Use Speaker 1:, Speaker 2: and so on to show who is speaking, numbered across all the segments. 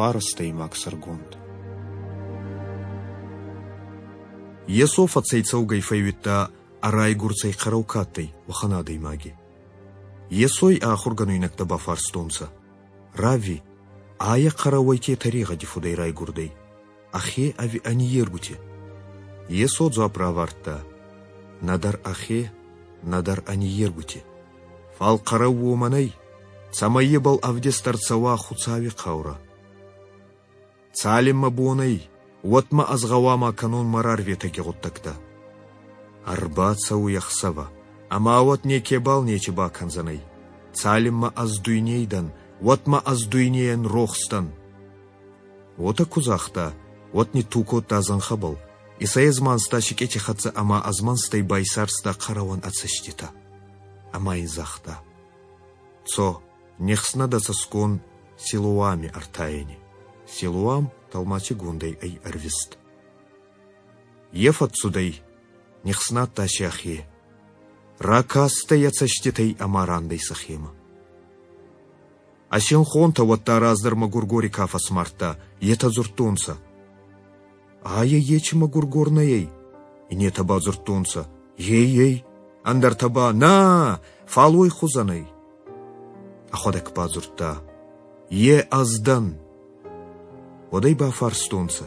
Speaker 1: Фарӕстӕймаг сӕргонд. Йесо фӕцӕйцӕугӕй фӕууидта, ӕ райгурцӕй хъӕрӕу ка адтӕй, уӕхӕн адӕймаги. Йесой ӕ ахургӕнуйнӕгтӕ бафарстонцӕ: «Равви, айӕ хъӕрӕуӕй ке тӕрегъӕди фудӕй райгурдӕй, ӕхе ӕви ӕ ниййергути?» Йесо дзуапп равардта: «Нӕдӕр ӕхе, нӕдӕр ӕ ниййергути. Фал хъӕрӕу уомӕн ӕй, цӕмӕй ибӕл ӕвдист ӕрцӕуа Хуцауи хъаурӕ. Цалинмӕ бон ӕй, уӕдмӕ ӕз гъӕуама кӕнон мӕ рарветӕги гъуддӕгтӕ. Ӕрбацӕуй ӕхсӕвӕ, ӕма уӕд некебал нечи бакӕндзӕнӕй. Цалинмӕ ӕз дуйней дӕн, уӕдмӕ ӕз дуйнейӕн рохс дӕн. Уотӕ ку загъта, уӕд нитту кодта зӕнхӕбӕл, исӕй ӕзманста сикъети хӕццӕ ӕма ӕзмӕнстӕй байсарста хъӕрӕуӕн ӕ цӕститӕ. Ӕма ин загъта: «Цо, нихснӕ дӕ цӕсгон Силоами ӕртайӕни». Силоам тӕлмацигондӕй ӕй ӕрвист. Е фӕццудӕй, нихснадта сӕхе, ракастӕй ӕ цӕститӕй ӕма рандӕй сӕхемӕ. Ӕ синхонтӕ уӕдта раздӕр мӕгургори ка фӕсмардта, етӕ дзурдтонцӕ: «Айӕ ечи мӕгургор нӕ ӕй?» Иннетӕ ба дзурдтонцӕ: «Ей-ей!» Ӕндӕртӕ ба: «На, фал уой хузӕн ӕй!» Ӕхуӕдӕг ба дзурдта: «Е ӕз дӕн!» Уӕд ӕй бафарстонцӕ: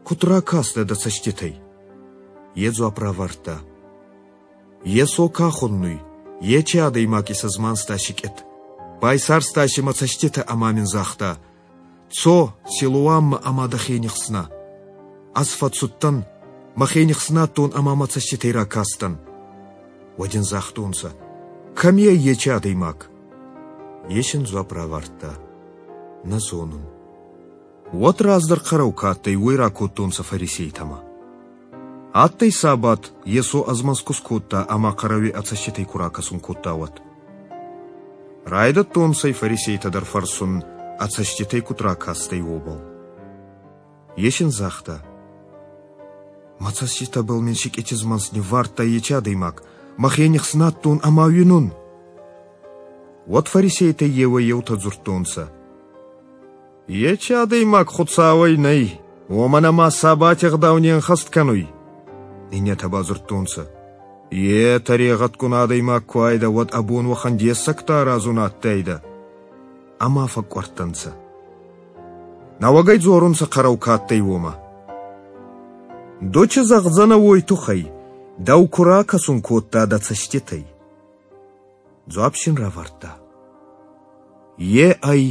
Speaker 1: «Куд ракастӕ дӕ цӕститӕй?» Е дзуапп равардта: «Йесо ка хуннуй, ечи адӕймаг исӕзманста сикъет, байсарста си мӕ цӕститӕ ӕма мин загъта: Цо, Силоаммӕ ӕма дӕхе нихснӕ. Ӕз фӕццудтӕн, мӕхе нихснадтон ӕма мӕ цӕститӕй ракастӕн». Уӕд ин загътонцӕ: «Кӕми ӕй ечи адӕймаг?» Е син дзуапп равардта: «Нӕ зонун». Уӕд раздӕр хъӕрӕу ка адтӕй, уой ракодтонцӕ фарисейтӕмӕ. Адтӕй сабат, Йесо ӕзмӕнст ку скодта ӕма хъӕрӕуи ӕ цӕститӕй ку ракӕсун кодта, уӕд. Райдӕдтонцӕ фарисейтӕ дӕр фӕрсун, ӕ цӕститӕй куд ракастӕй, уобӕл. Е син загъта: «Мӕ цӕститӕбӕл мин сикъити змӕнст ниввардта ечи адӕймаг, мӕхе нихснадтон ӕма уинун». Уӕд фарисейтӕй еуӕй-еутӕ дзурдтонцӕ: «Ечи адӕймаг Хуцауӕй нӕй, уомӕн ӕма сабати ӕгъдау не нхӕст кӕнуй». Иннетӕ ба дзурдтонцӕ: «Е тӕрегъӕдгун адӕймаг ку айдӕ, уӕд ӕ бон уӕхӕн дессӕгтӕ аразун адтайдӕ». Ӕма фӕкъкъуӕрдтӕнцӕ. Нӕуӕгӕй дзорунцӕ хъӕрӕу ка адтӕй, уомӕ: «Ду ци зӕгъдзӕнӕ уой туххӕй, дӕу ку ракӕсун кодта дӕ цӕститӕй?» Дзуапп син равардта: «Е ӕй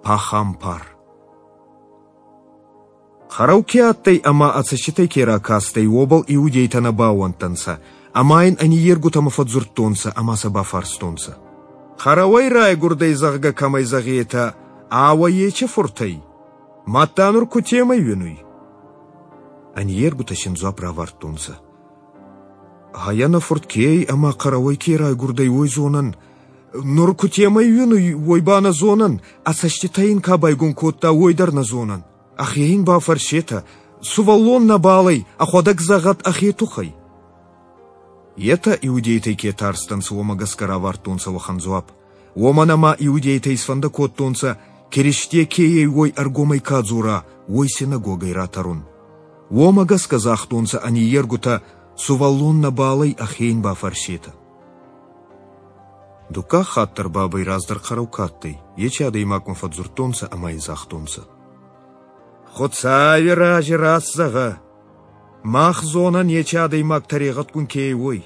Speaker 1: пахампар». Хъӕрӕу ке адтӕй ӕма ӕ цӕститӕй ке ракастӕй, уобӕл иудейтӕ нӕ баууӕндтӕнцӕ, ӕма ин ӕ ниййергутӕмӕ фӕдздзурдтонцӕ ӕма сӕ бафарстонцӕ: «Хъӕрӕуӕй райгурдӕй, зӕгъгӕ, кӕмӕй зӕгъетӕ, ауӕ ечи фурт ӕй? Мадта нур кутемӕй уинуй?» Ӕ ниййергутӕ син дзуапп равардтонцӕ: «Айӕ нӕ фурт ке ӕй ӕма хъӕрӕуӕй ке райгурдӕй, уой зонӕн. Нур кутемӕй уинуй, уой ба нӕ зонӕн, ӕ цӕститӕ ин ка байгон кодта, уой дӕр нӕ зонӕн. Ӕхе ин бафӕрсетӕ, сувӕллон нӕбал ӕй, ӕхуӕдӕг зӕгъӕд ӕхе туххӕй». Етӕ иудейтӕй ке тарстӕнцӕ, уомӕ гӕсгӕ равардтонцӕ уӕхӕн дзуапп. Уомӕн ӕма иудейтӕ исфӕндӕ кодтонцӕ, Киристе ке ӕй, уой ӕргомӕй ка дзора, уой синагогӕй ратӕрун. Уомӕ гӕсгӕ загътонцӕ ӕ ниййергутӕ: «Сувӕллон нӕбал ӕй, ӕхе ин бафӕрсетӕ». Дуккаг хатт дӕр бабӕй раздӕр хъӕрӕу ка адтӕй, ечи адӕймагмӕ фӕдздзурдтонцӕ ӕма ин загътонцӕ: «Хуцауи рази раст зӕгъӕ, мах зонӕн, ечи адӕймаг тӕрегъӕдгун ке ӕй, уой».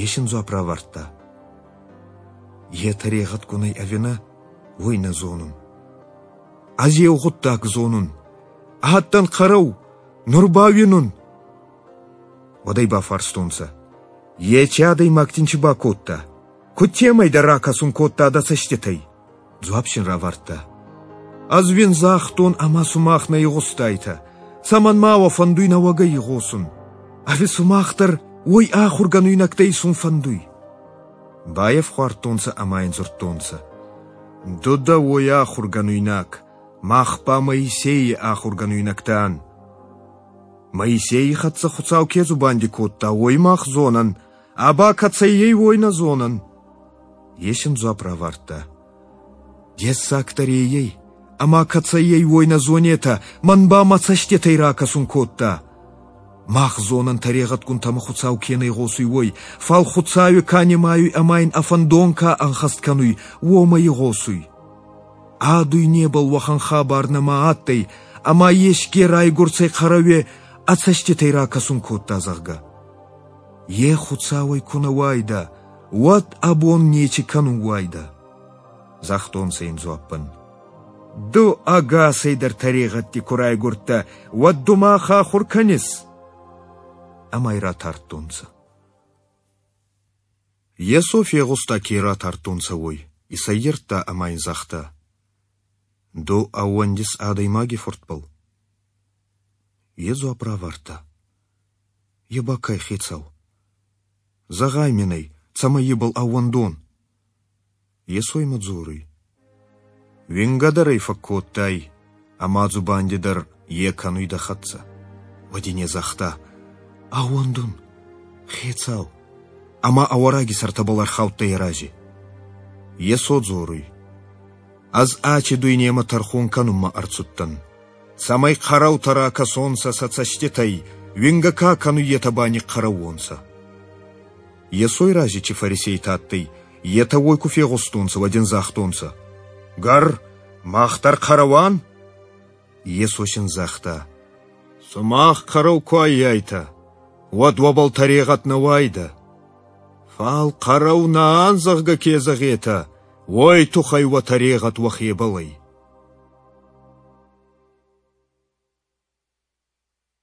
Speaker 1: Е син дзуапп равардта: «Е тӕрегъӕдгун ӕй ӕви нӕ, уой нӕ зонун. Ӕз еу гъуддаг зонун: адтӕн хъӕрӕу, нур ба уинун». Уӕд ӕй бафарстонцӕ: «Ечи адӕймаг дин ци бакодта? Кутемӕй дӕ ракӕсун кодта дӕ цӕститӕй?» Дзуапп син равардта: «Ӕз уин загътон ӕма сумах нӕ игъустайтӕ. Цӕмӕн ма уӕ фӕндуй нӕуӕгӕй игъосун? Ӕви сумах дӕр уой ахургӕнуйнӕгтӕ исун фӕндуй?» Байӕфхуардтонцӕ ӕма ин дзурдтонцӕ: «Ду дӕ уой ахургӕнуйнаг, мах ба Моисейи ахургӕнуйнӕгтӕ ан. Моисейи хӕццӕ Хуцау ке дзубанди кодта, уой мах зонӕн, а ба кӕцӕй ӕй, уой нӕ зонӕн». Е син дзуапп равардта: «Дессагдӕр ей ӕй, ӕма кӕцӕй ӕй, уой нӕ зонетӕ, мӕн ба мӕ цӕститӕй ракӕсун кодта. Мах зонӕн тӕрегъӕдгунтӕмӕ Хуцау ке нӕ игъосуй, уой, фал Хуцауи ка нимайуй ӕма ин ӕ фӕндон ка ӕнхӕст кӕнуй, уомӕ игъосуй. А дуйнебӕл уӕхӕн хабар нӕма адтӕй, ӕма еске райгурцӕй хъӕрӕуе ӕ цӕститӕй ракӕсун кодта, зӕгъгӕ. Е Хуцауӕй ку нӕ уайдӕ, уӕд ӕ бон нечи кӕнун уайдӕ. Загътонцӕ ин дзуаппӕн. Ду ӕгасӕй дӕр тӕрегъӕдти ку райгурдтӕ, уӕд ду мах ахур кӕнис? Ӕма ӕй ратардтонцӕ. Йесо фегъуста, ке ратардтонцӕ, уой, исӕййирдта ӕма ин загъта: Ду ӕууӕндис адӕймаги фуртбӕл? Е дзуапп равардта: Е ба кай хецау? Зӕгъай мин ӕй, цӕмӕй ибӕл ӕууӕндон. Йесо имӕ дзоруй: Уингӕ дӕр ӕй фӕккодтай, ӕма дзубанди дӕр е кӕнуй дӕ хӕццӕ. Уӕд ин е загъта: Ӕууӕндун, хецау. Ӕма ӕ уӕраги сӕртӕбӕл ӕрхаудтӕй ӕ рази. Йесо дзоруй: Ӕз ачи дуйнемӕ тӕрхон кӕнунмӕ ӕрцудтӕн, цӕмӕй хъӕрӕутӕ ракӕсонцӕ сӕ цӕститӕй, уингӕ ка кӕнуй, етӕ ба нихъхъӕрӕу уонцӕ. Йесой рази чи фарисейтӕ адтӕй, етӕ уой ку фегъустонцӕ, уӕд ин загътонцӕ: Гӕр, мах дӕр хъӕрӕуан? Йесо син загъта: Сумах хъӕрӕу ку аййайтӕ, уӕд уӕбӕл тӕрегъӕд нӕ уайдӕ. Фал хъӕрӕу нӕ ан, зӕгъгӕ, ке зӕгъетӕ, уой туххӕй уӕ тӕрегъӕд уӕхебӕл ӕй.